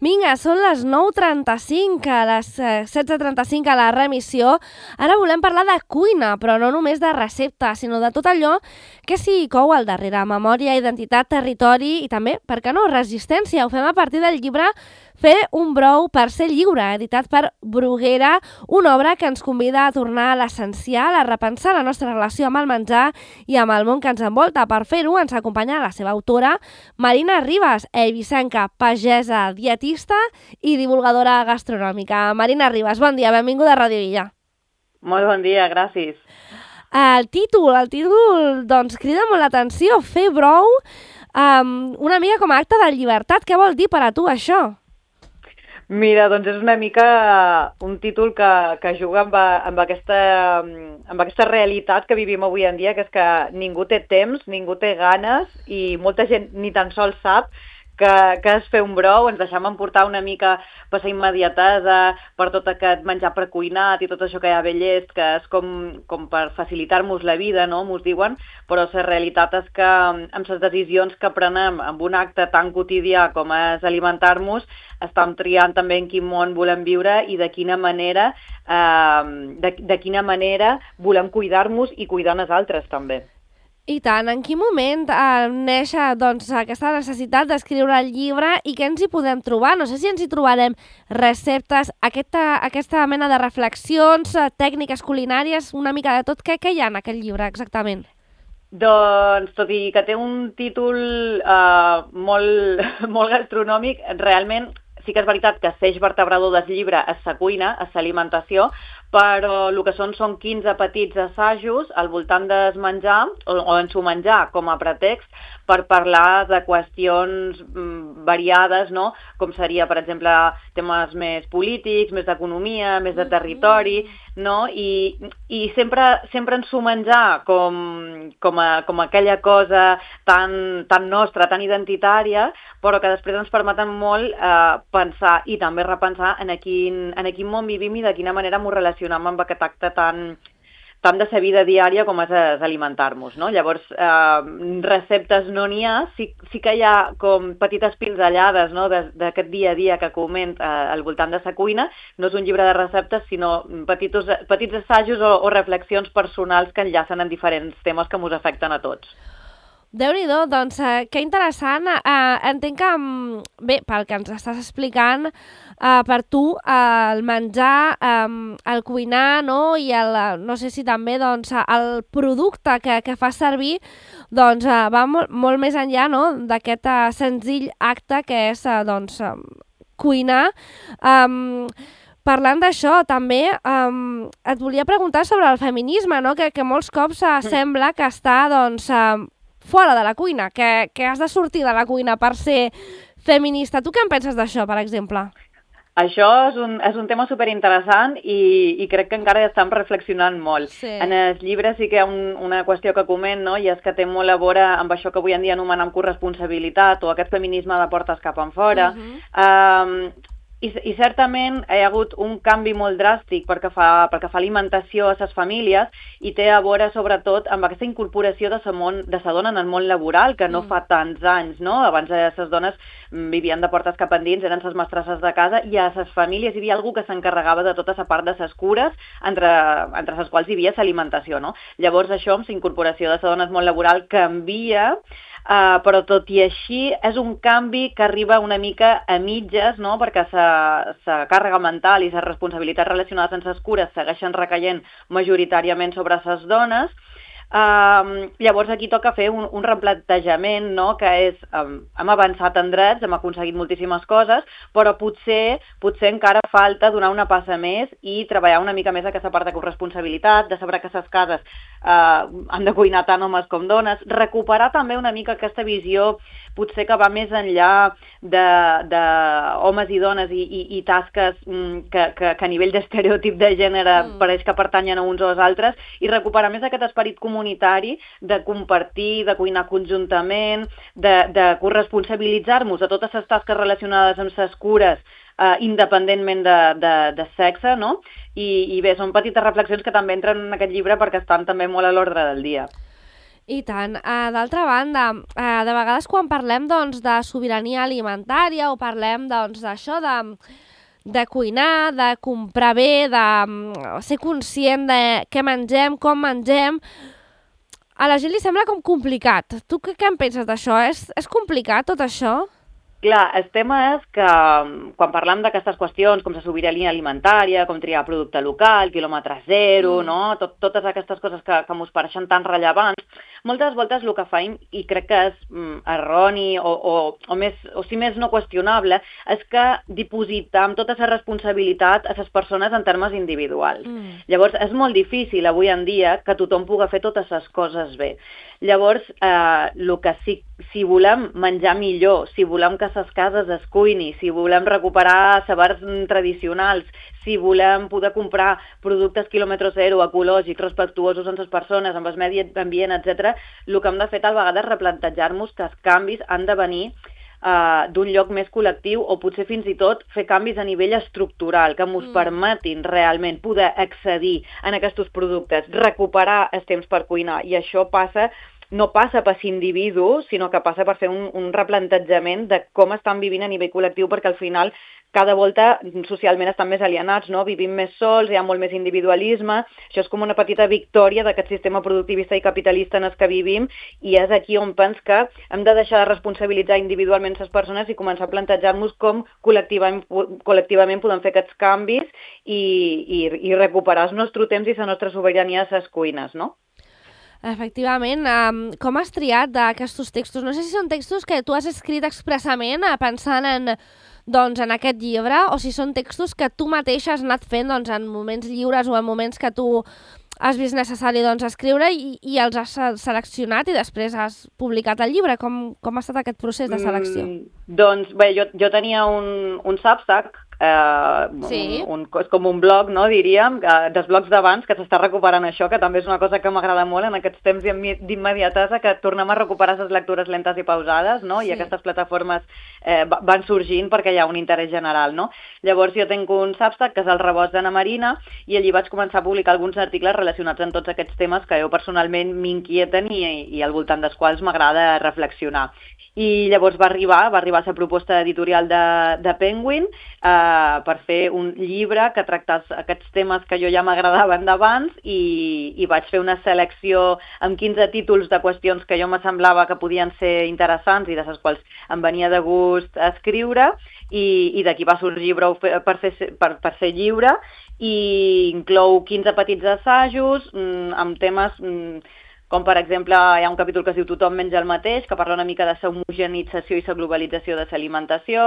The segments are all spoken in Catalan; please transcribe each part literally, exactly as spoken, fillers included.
Vinga, són les nou trenta-cinc, a les setze trenta-cinc a la remissió. Ara volem parlar de cuina, però no només de receptes, sinó de tot allò que s'hi cou al darrere. Memòria, identitat, territori i també, per què no, resistència. Ho fem a partir del llibre Fer un brou per ser lliure, editat per Bruguera, una obra que ens convida a tornar a l'essencial, a repensar la nostra relació amb el menjar i amb el món que ens envolta. Per fer-ho ens acompanya la seva autora, Marina Ribas, eivissenca, pagesa, dietista i divulgadora gastronòmica. Marina Ribas, bon dia, benvinguda a Ràdio Illa. Molt bon dia, gràcies. El títol, el títol, doncs, crida molt l'atenció, fer brou, um, una mica com a acte de llibertat. Què vol dir per a tu això? Mira, doncs és una mica un títol que, que juga amb, amb, aquesta, amb aquesta realitat que vivim avui en dia, que és que ningú té temps, ningú té ganes i molta gent ni tan sols sap que, que és fer un brou. Ens deixem emportar una mica per la immediatesa, per tot aquest menjar precuinat i tot això que hi ha ve llest, que és com, com per facilitar-nos la vida, no?, mos diuen, però la realitat és que amb les decisions que prenem amb un acte tan quotidià com és alimentar-nos, estem triant també en quin món volem viure i de quina manera, eh, de, de quina manera volem cuidar-nos i cuidar els altres també. I tant, en quin moment eh, neix doncs, aquesta necessitat d'escriure el llibre i què ens hi podem trobar? No sé si ens hi trobarem receptes, aquesta, aquesta mena de reflexions, tècniques culinàries, una mica de tot. Què, què hi ha en aquest llibre exactament? Doncs, tot i que té un títol eh, molt, molt gastronòmic, realment sí que és veritat que l'eix vertebrador del llibre és la cuina, és l'alimentació, però el que són són quinze petits assajos al voltant del menjar, o, o en su menjar com a pretext, per parlar de qüestions mm, variades, no?, com seria, per exemple, temes més polítics, més d'economia, més de territori, no?, i, i sempre, sempre en su menjar com, com, a, com aquella cosa tan, tan nostra, tan identitària, però que després ens permeten molt eh, pensar i també repensar en a quin, en a quin món vivim i de quina manera m'ho relacionem amb aquest acte tan, tant de sa vida diària com és, és alimentar-nos, no? Llavors, eh, receptes no n'hi ha, sí, sí que hi ha com petites pinzellades, no?, d'aquest dia a dia que coment eh, al voltant de sa cuina. No és un llibre de receptes, sinó petits, petits assajos o, o reflexions personals que enllacen en diferents temes que ens afecten a tots. Déu-n'hi-do, doncs eh, que interessant. Eh, entenc que, bé, pel que ens estàs explicant, eh, per tu eh, el menjar, eh, el cuinar, no?, i el, no sé si també doncs, el producte que, que fa servir doncs, eh, va molt, molt més enllà, no?, d'aquest eh, senzill acte que és eh, doncs, eh, cuinar. Eh, Parlant d'això, també um, et volia preguntar sobre el feminisme, no?, que, que molts cops uh, sembla que està doncs, uh, fora de la cuina, que, que has de sortir de la cuina per ser feminista. Tu què en penses d'això, per exemple? Això és un, és un tema superinteressant i, i crec que encara estem reflexionant molt. Sí. En el llibre sí que hi ha un, una qüestió que coment, no?, i és que té molt a veure amb això que avui en dia anomenem corresponsabilitat o aquest feminisme de portes cap enfora. Uh-huh. um, I, I certament hi ha hagut un canvi molt dràstic perquè fa, perquè fa alimentació a les famílies i té a veure sobretot amb aquesta incorporació de sa, món, de sa dona en el món laboral, que no mm. fa tants anys, no? Abans les dones vivien de portes cap endins, eren les mestresses de casa, i a les famílies hi havia algú que s'encarregava de tota la part de les cures, entre, entre les quals hi havia l'alimentació, no? Llavors això, amb la incorporació de sa dona al món laboral, canvia. Uh, però tot i així és un canvi que arriba una mica a mitges, no?, perquè la càrrega mental i les responsabilitats relacionades amb les cures segueixen recaient majoritàriament sobre les dones. Uh, llavors aquí toca fer un, un replantejament, no?, que és, um, hem avançat en drets, hem aconseguit moltíssimes coses, però potser, potser encara falta donar una passa més i treballar una mica més aquesta part de corresponsabilitat, de saber que les cases uh, han de cuinar tant homes com dones, recuperar també una mica aquesta visió potser que va més enllà de, de homes i dones i, i, i tasques mm, que, que, que a nivell d'estereotip de gènere mm. pareix que pertanyen a uns o als altres, i recuperar més aquest esperit comunitari de compartir, de cuinar conjuntament, de, de corresponsabilitzar-nos de totes les tasques relacionades amb les cures, eh, independentment de, de, de sexe, no? I, I bé, són petites reflexions que també entren en aquest llibre perquè estan també molt a l'ordre del dia. I tant. Uh, D'altra banda, uh, de vegades quan parlem doncs, de sobirania alimentària o parlem doncs, d'això de, de cuinar, de comprar bé, de um, ser conscient de què mengem, com mengem, a la gent li sembla com complicat. Tu què, què en penses d'això? És, és complicat tot això? Clar, el tema és que quan parlem d'aquestes qüestions, com la sobirania alimentària, com triar producte local, quilòmetre zero, mm. no? Tot, totes aquestes coses que, que ens pareixen tan rellevants, moltes voltes el que faim, i crec que és mm, erroni o, o, o, més, o si més no qüestionable, és que dipositam tota la responsabilitat a les persones en termes individuals. Mm. Llavors, és molt difícil avui en dia que tothom pugui fer totes les coses bé. Llavors, eh, el que sí, si volem menjar millor, si volem que les cases es cuini, si volem recuperar sabors tradicionals, si volem poder comprar productes quilòmetre zero, ecològics, respectuosos amb les persones, amb el medi ambient, etcètera, el que hem de fer tal vegada és replantejar-nos que els canvis han de venir Uh, d'un lloc més col·lectiu o potser fins i tot fer canvis a nivell estructural que ens mm. permetin realment poder accedir a aquests productes, recuperar els temps per cuinar, i això passa, no passa per individu, sinó que passa per fer un, un replantejament de com estan vivint a nivell col·lectiu, perquè al final cada volta socialment estan més alienats, no? Vivim més sols, hi ha molt més individualisme, això és com una petita victòria d'aquest sistema productivista i capitalista en el que vivim, i és aquí on pens que hem de deixar de responsabilitzar individualment les persones i començar a plantejar-nos com col·lectivament, col·lectivament podem fer aquests canvis i, i, i recuperar el nostre temps i la nostra sobirania a les cuines, no? Efectivament. Um, com has triat d'aquests textos? No sé si són textos que tu has escrit expressament pensant en, doncs, en aquest llibre, o si són textos que tu mateixa has anat fent doncs, en moments lliures o en moments que tu has vist necessari doncs, escriure i, i els has seleccionat i després has publicat el llibre. Com, com ha estat aquest procés de selecció? Mm, doncs bé, jo, jo tenia un, un Substack, eh, sí. un, un, és com un blog, no, diríem, eh, dels blogs d'abans, que s'està recuperant això, que també és una cosa que m'agrada molt en aquests temps d'immediatesa, que tornem a recuperar les lectures lentes i pausades, no? Sí. I aquestes plataformes eh, van sorgint perquè hi ha un interès general, no? Llavors jo tinc un Substack, que és el Rebost d'Anna Marina, i allí vaig començar a publicar alguns articles relacionats amb tots aquests temes que jo personalment m'inquieten i, i al voltant dels quals m'agrada reflexionar. I llavors va arribar, va arribar la proposta editorial de, de Penguin eh, per fer un llibre que tractés aquests temes que jo ja m'agradaven d'abans, i, i vaig fer una selecció amb quinze títols de qüestions que jo me semblava que podien ser interessants i de les quals em venia de gust escriure, i, i d'aquí va sorgir Brou per, fer, per, per ser lliure, i inclou quinze petits assajos mm, amb temes mm, com per exemple hi ha un capítol que es diu Tothom menja el mateix, que parla una mica de la homogenització i la globalització de l'alimentació,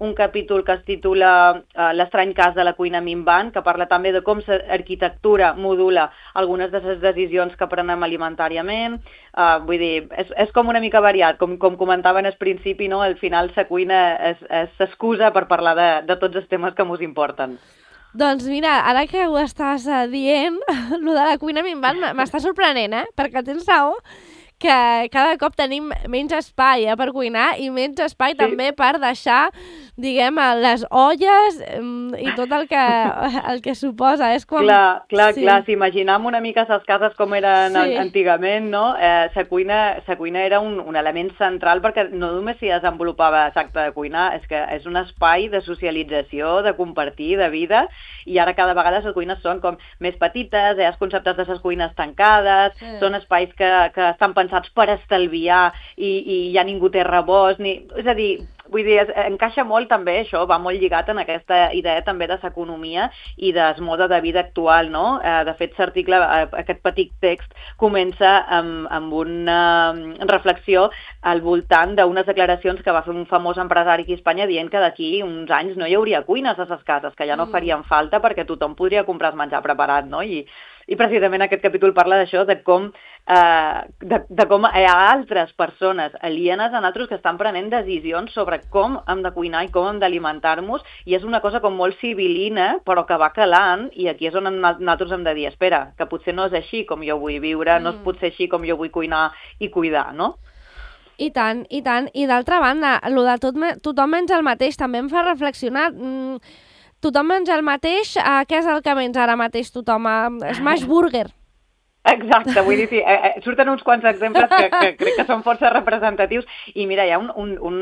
un capítol que es titula uh, L'estrany cas de la cuina minvant, que parla també de com l'arquitectura modula algunes de les decisions que prenem alimentàriament. Uh, vull dir, és, és com una mica variat, com, com comentaven al principi, no? Al final la cuina és, és excusa per parlar de, de tots els temes que ens importen. Doncs mira, ara que ho estàs uh, dient, el de la cuina minvant m'està sorprenent, eh? Perquè tens raó que cada cop tenim menys espai eh, per cuinar i menys espai sí. també per deixar, diguem, les olles um, i tot el que, el que suposa. És com... Clar, clar, sí. clar. Si imaginem una mica les cases com eren sí. antigament, no? Eh, la cuina, la cuina era un, un element central perquè no només s'hi desenvolupava l'acte de cuinar, és que és un espai de socialització, de compartir, de vida, i ara cada vegada les cuines són com més petites, hi ha els conceptes de les cuines tancades, sí. són espais que, que estan pensats per estalviar i, i ja ningú té rebost, ni... és a dir, vull dir, es, encaixa molt també això, va molt lligat en aquesta idea també de l'economia i del mode de vida actual, no? Eh, de fet, l'article, eh, aquest petit text, comença amb, amb una reflexió al voltant d'unes declaracions que va fer un famós empresari aquí a Espanya dient que d'aquí uns anys no hi hauria cuines a les cases, que ja no farien falta perquè tothom podria comprar el menjar preparat, no? I, i precisament aquest capítol parla d'això, de com, eh, de, de com hi ha altres persones alienes a nosaltres que estan prenent decisions sobre com hem de cuinar i com hem d'alimentar-nos, i és una cosa com molt civilina, però que va calant, i aquí és on nosaltres hem de dir, espera, que potser no és així com jo vull viure, mm. no és potser així com jo vull cuinar i cuidar, no? I tant, i tant. I d'altra banda, el de tot, tothom menja el mateix també em fa reflexionar... Mm, tothom menja el mateix, uh, què és el que menja ara mateix tothom? Uh, Smash Burger. Exacte, vull dir, sí, eh, surten uns quants exemples que, que crec que són força representatius i mira, hi ha un, un, un,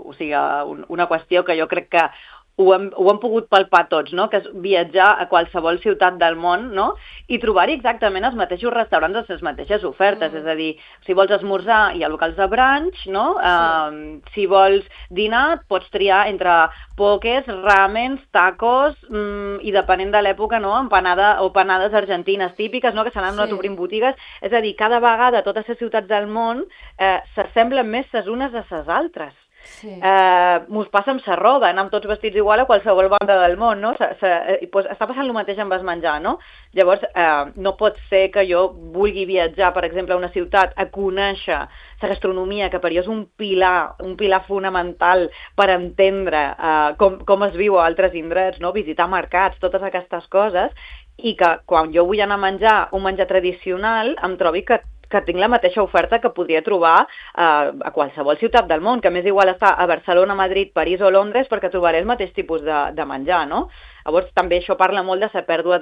o sigui, un, una qüestió que jo crec que ho hem, ho hem pogut palpar tots, no? Que és viatjar a qualsevol ciutat del món, no? I trobar-hi exactament els mateixos restaurants, les mateixes ofertes, mm. és a dir, si vols esmorzar hi ha locals de brunch, no? Sí. Uh, si vols dinar pots triar entre pokés, ramens, tacos mm, i depenent de l'època, no? Empanada o panades argentines típiques, no? Que se n'han anat sí. obrint botigues, és a dir, cada vegada totes les ciutats del món eh, s'assemblen més les unes a les altres. Sí. Eh, mos passa amb la roba, anem tots vestits igual a qualsevol banda del món, no? Se, se, eh, pues, està passant el mateix amb el menjar, no? Llavors, eh, no pot ser que jo vulgui viatjar, per exemple, a una ciutat a conèixer la gastronomia, que per jo és un pilar, un pilar fonamental per entendre eh, com, com es viu a altres indrets, no? Visitar mercats, totes aquestes coses, i que quan jo vull anar a menjar un menjar tradicional em trobi que que tinc la mateixa oferta que podria trobar eh, a qualsevol ciutat del món, que més igual està a Barcelona, Madrid, París o Londres, perquè trobaré el mateix tipus de, de menjar, no? Llavors també això parla molt de la pèrdua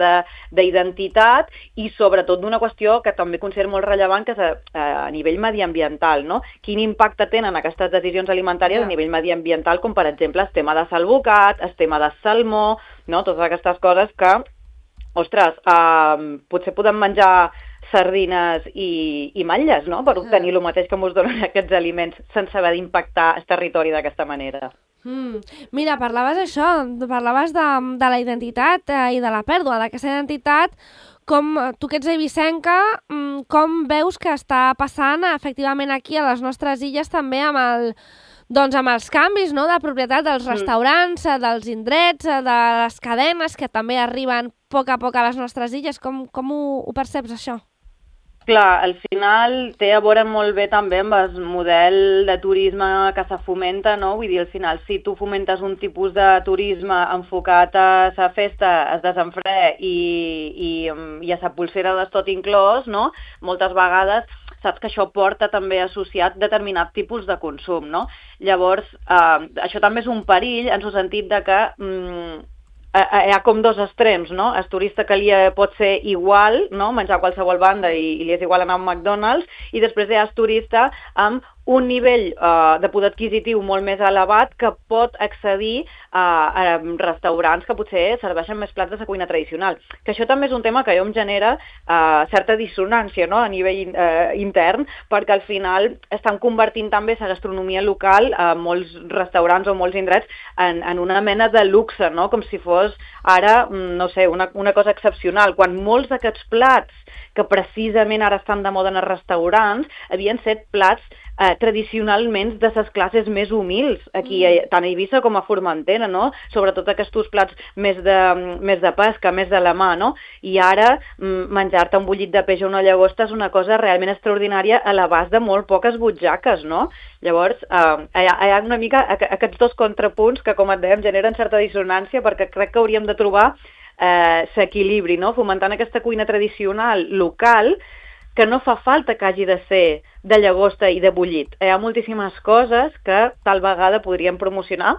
d'identitat i sobretot d'una qüestió que també considero molt rellevant, que és a, a nivell mediambiental, no? Quin impacte tenen aquestes decisions alimentàries yeah. a nivell mediambiental, com per exemple el tema de salvocat, el tema de salmó, no? Totes aquestes coses que, ostres, eh, potser podem menjar sardines i, i matlles, no? Per obtenir el mateix que ens donen aquests aliments sense haver d'impactar el territori d'aquesta manera. Mm. Mira, parlaves això, parlaves de, de la identitat eh, i de la pèrdua d'aquesta identitat. Com, tu que ets eivissenca, com veus que està passant efectivament aquí a les nostres illes també amb el... Doncs amb els canvis, no?, de propietat dels restaurants, mm. dels indrets, de les cadenes que també arriben a poc a poc a les nostres illes. Com, com ho, ho perceps, això? Clar, al final té a veure molt bé també amb el model de turisme que se fomenta, no? Vull dir, al final, si tu fomentes un tipus de turisme enfocat a la festa, el desenfre i, i, i a la pulsera del tot inclòs, no? Moltes vegades saps que això porta també associat determinat tipus de consum, no? Llavors, eh, això també és un perill en el sentit de que mm, hi ha com dos extrems, no? El turista que li pot ser igual, no? Menjar a qualsevol banda i, i li és igual anar a un McDonald's, i després hi ha el turista amb un nivell uh, de poder adquisitiu molt més elevat que pot accedir uh, a restaurants que potser serveixen més plats de la cuina tradicional. Que això també és un tema que jo em genera uh, certa dissonància, no?, a nivell uh, intern, perquè al final estan convertint també la gastronomia local a uh, molts restaurants o molts indrets en, en una mena de luxe, no?, com si fos ara, no sé, una, una cosa excepcional, quan molts d'aquests plats que precisament ara estan de moda en els restaurants havien set plats Eh, tradicionalment de les classes més humils, aquí mm. tant a Eivissa com a Formentera, no? Sobretot aquests plats més de, més de pesca, més de la mà, no? I ara menjar-te un bullit de peix o una llagosta és una cosa realment extraordinària a l'abast de molt poques butxaques, no? Llavors, eh, hi, ha, hi ha una mica aquests dos contrapunts que, com et dèiem, generen certa dissonància, perquè crec que hauríem de trobar eh, l'equilibri, no? Fomentant aquesta cuina tradicional local, que no fa falta que hagi de ser de llagosta i de bullit. Hi ha moltíssimes coses que tal vegada podríem promocionar.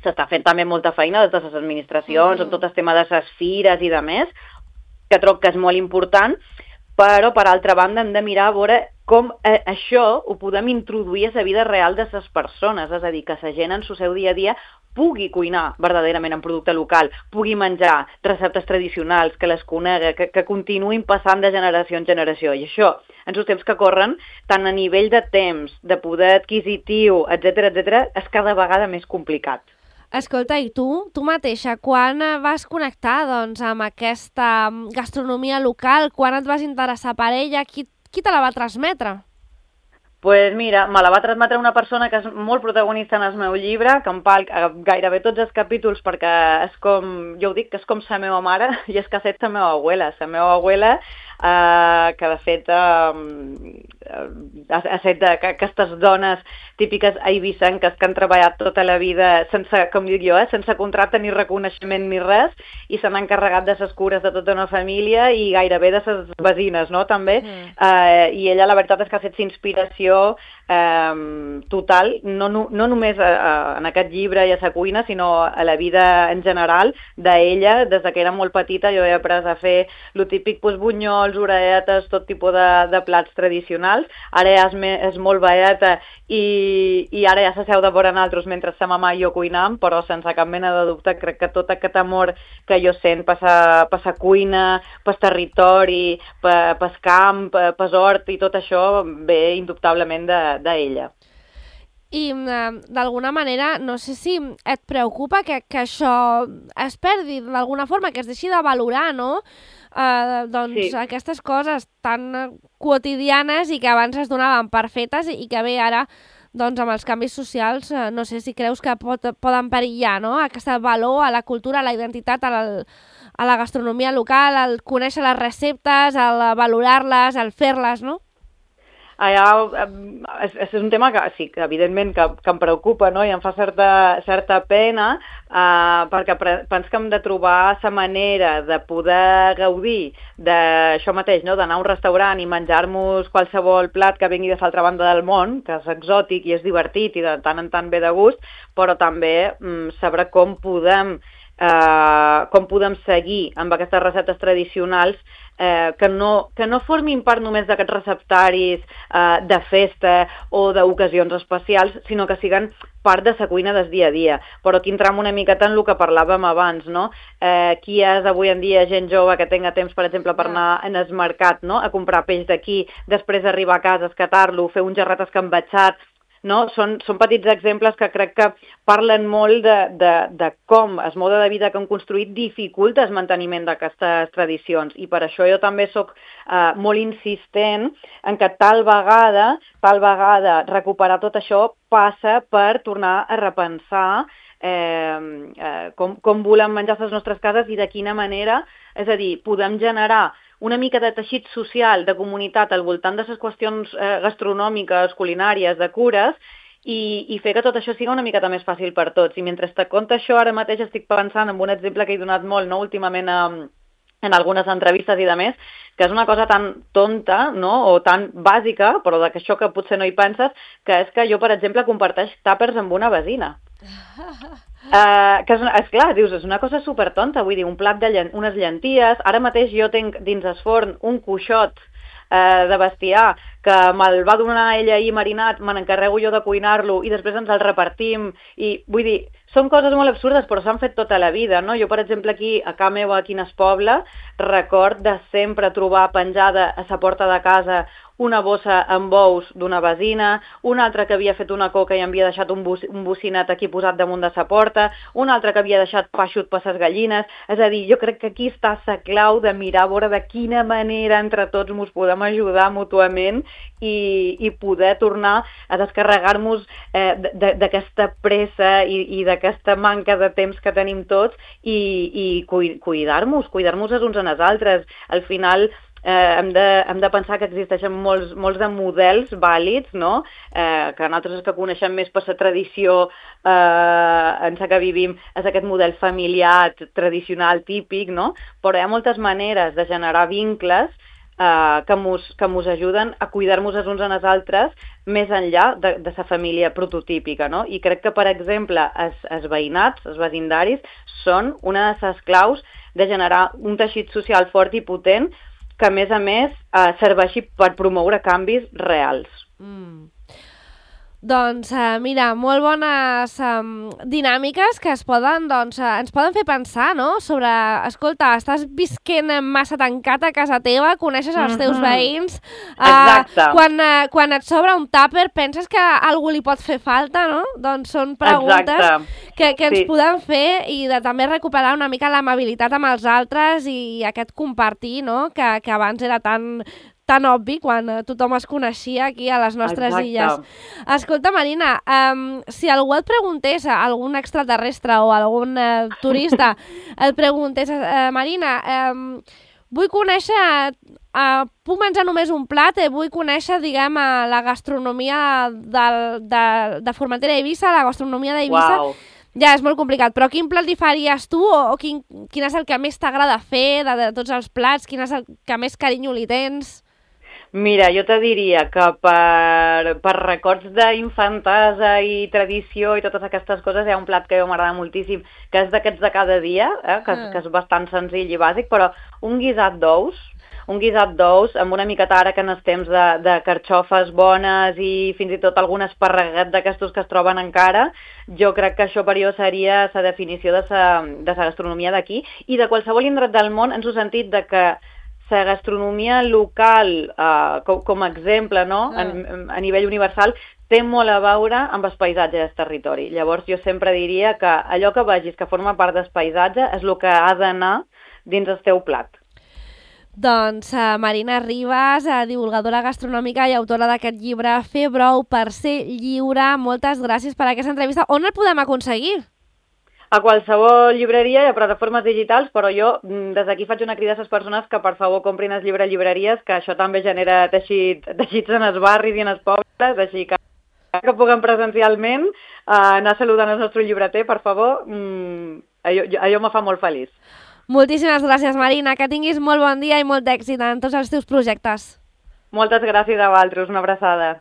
S'està fent també molta feina des de les administracions, mm-hmm. amb tot el tema de les fires i de més, que trobo que és molt important, però per altra banda hem de mirar a veure com eh, això ho podem introduir a la vida real de les persones, és a dir, que la gent en el seu dia a dia pugui cuinar verdaderament en producte local, pugui menjar receptes tradicionals, que les conegui, que, que continuïn passant de generació en generació. I això, en els temps que corren, tant a nivell de temps, de poder adquisitiu, etcètera, etcètera, és cada vegada més complicat. Escolta, i tu, tu mateixa, quan vas connectar doncs, amb aquesta gastronomia local, quan et vas interessar per ella, qui, qui te la va transmetre? Pues mira, me la va transmetre una persona que és molt protagonista en el meu llibre, que em parla gairebé tots els capítols perquè és com, jo ho dic, que és com la meva mare, i és que ha fet la meva abuela. La meva abuela, eh, que de fet eh, ha set d'aquestes dones típiques eivissenques que han treballat tota la vida sense, com dic jo, eh, sense contracte ni reconeixement ni res, i se n'han encarregat de les cures de tota una família i gairebé de les veïnes, no?, també. Mm. Eh, I ella la veritat és que ha fet inspiració eh, total, no, no, no només a, a, en aquest llibre i a sa cuina, sinó a la vida en general d'ella. Des que era molt petita jo he après a fer el típic pues, bunyols, orelletes, tot tipus de, de plats tradicionals. Ara ja és, me, és molt velleta i, i ara ja s'asseu de vora nosaltres mentre sa mamà i jo cuinam, però sense cap mena de dubte crec que tot aquest amor que jo sent per sa, per sa cuina, per territori, per, per camp, per, per hort i tot això ve indubtablement d'ella. I uh, d'alguna manera, no sé si et preocupa que, que això es perdi d'alguna forma, que es deixi de valorar, no? Uh, doncs sí. Aquestes coses tan quotidianes i que abans es donaven per fetes i que bé ara, doncs amb els canvis socials, uh, no sé si creus que pot, poden perillar, no? Aquest valor a la cultura, a la identitat, a la, a la gastronomia local, al conèixer les receptes, al valorar-les, al fer-les, no? Allà, és, és un tema que sí, que evidentment que, que em preocupa, no? I em fa certa, certa pena eh, perquè penso que hem de trobar la manera de poder gaudir d'això mateix, no? D'anar a un restaurant i menjar-nos qualsevol plat que vingui de l'altra banda del món, que és exòtic i és divertit i de tant en tant ve de gust, però també mm, saber com podem, eh, com podem seguir amb aquestes receptes tradicionals Eh, que, no, que no formin part només d'aquests receptaris eh, de festa o d'ocasions especials, sinó que siguen part de la cuina del dia a dia. Però aquí entram una miqueta en el que parlàvem abans, no? Eh, qui és avui en dia gent jove que tenga temps, per exemple, per anar en el mercat, no? A comprar peix d'aquí, després arribar a casa, escatar-lo, fer un gerrat escambatxat, no? Són, són petits exemples que crec que parlen molt de, de, de com el mode de vida que han construït dificulta el manteniment d'aquestes tradicions, i per això jo també sóc eh, molt insistent en que tal vegada, tal vegada recuperar tot això passa per tornar a repensar eh, eh, com, com volem menjar a les nostres cases i de quina manera, és a dir, podem generar una mica de teixit social, de comunitat al voltant de les qüestions eh, gastronòmiques, culinàries, de cures, i, i fer que tot això sigui una miqueta més fàcil per tots. I mentre te conto això, ara mateix estic pensant en un exemple que he donat molt, no? Últimament eh, en algunes entrevistes i de més, que és una cosa tan tonta, no? O tan bàsica, però de que això que potser no hi penses, que és que jo, per exemple, comparteix tàpers amb una vecina. Uh, que és, és clar, dius, és una cosa supertonta, vull dir, un plat de llen unes llenties. Ara mateix jo tinc dins el forn un cuixot uh, de bestiar que me'l va donar ella ahir marinat, me n'encarrego jo de cuinar-lo i després ens el repartim, i vull dir, són coses molt absurdes però s'han fet tota la vida, no? Jo, per exemple, aquí a casa meva, aquí en el poble, record de sempre trobar penjada a la porta de casa una bossa amb ous d'una vecina, una altra que havia fet una coca i havia deixat un, bus, un bocinat aquí posat damunt de sa porta, una altra que havia deixat pa eixut per ses gallines. És a dir, jo crec que aquí està la clau de mirar a veure de quina manera entre tots ens podem ajudar mútuament i, i poder tornar a descarregar-nos eh, d'aquesta pressa i, i d'aquesta manca de temps que tenim tots i, i cuidar-nos, cuidar-nos els uns en els altres. Al final, Eh, hem, de, hem de pensar que existeixen molts, molts de models vàlids, no? eh, que nosaltres que coneixem més per la tradició eh, en la que vivim és aquest model familiar, tradicional, típic, no? Però hi ha moltes maneres de generar vincles eh, que mos, que mos ajuden a cuidar-nos els uns en els altres més enllà de, de la família prototípica, no? I crec que, per exemple, els, els veïnats, els vecindaris, són una de les claus de generar un teixit social fort i potent que, a més a més, eh, serveixi per promoure canvis reals. Mm. Doncs, uh, mira, molt bones um, dinàmiques que es poden, doncs, uh, ens poden fer pensar, no?, sobre, escolta, estàs visquent massa tancat a casa teva, coneixes els teus mm-hmm. veïns, uh, Exacte. Quan, uh, quan et sobra un tàper penses que a algú li pot fer falta, no? Doncs són preguntes que, que ens sí. podem fer i de també recuperar una mica l'amabilitat amb els altres i aquest compartir, no?, que, que abans era tan... tan obvi quan tothom es coneixia aquí a les nostres Exacte. illes. Escolta, Marina, um, si algú et preguntés, algun extraterrestre o algun uh, turista et preguntés, uh, Marina, um, vull conèixer, uh, puc menjar només un plat, eh, vull conèixer, diguem, uh, la gastronomia del, de, de Formentera i Eivissa, la gastronomia d'Eivissa. Wow. Ja, és molt complicat, però quin plat li faries tu o, o quin, quin és el que més t'agrada fer de, de tots els plats, quin és el que més carinyo li tens? Mira, jo te diria que per, per records d'infantesa i tradició i totes aquestes coses hi ha un plat que a mi m'agrada moltíssim, que és d'aquests de cada dia, eh, que, mm. que és bastant senzill i bàsic, però un guisat d'ous, un guisat d'ous amb una miqueta ara que en els temps de, de carxofes bones i fins i tot algun esparreguet d'aquestos que es troben encara, jo crec que això per jo seria la definició de sa, de sa gastronomia d'aquí i de qualsevol indret del món en el sentit de que la gastronomia local, uh, com, com a exemple, no? Ah. En, a nivell universal, té molt a veure amb el paisatge del territori. Llavors jo sempre diria que allò que vegis que forma part del paisatge és el que ha d'anar dins el teu plat. Doncs uh, Marina Ribas, uh, divulgadora gastronòmica i autora d'aquest llibre Fer brou per ser lliure, moltes gràcies per aquesta entrevista. On el podem aconseguir? A qualsevol llibreria i a plataformes digitals, però jo des d'aquí faig una crida a les persones que per favor comprin el llibre a llibreries, que això també genera teixit, teixits en els barris i en els pobles, així que que puguem presencialment uh, anar saludant el nostre llibreter, per favor, mm, allò, allò me fa molt feliç. Moltíssimes gràcies, Marina, que tinguis molt bon dia i molt d'èxit en tots els teus projectes. Moltes gràcies a vosaltres, una abraçada.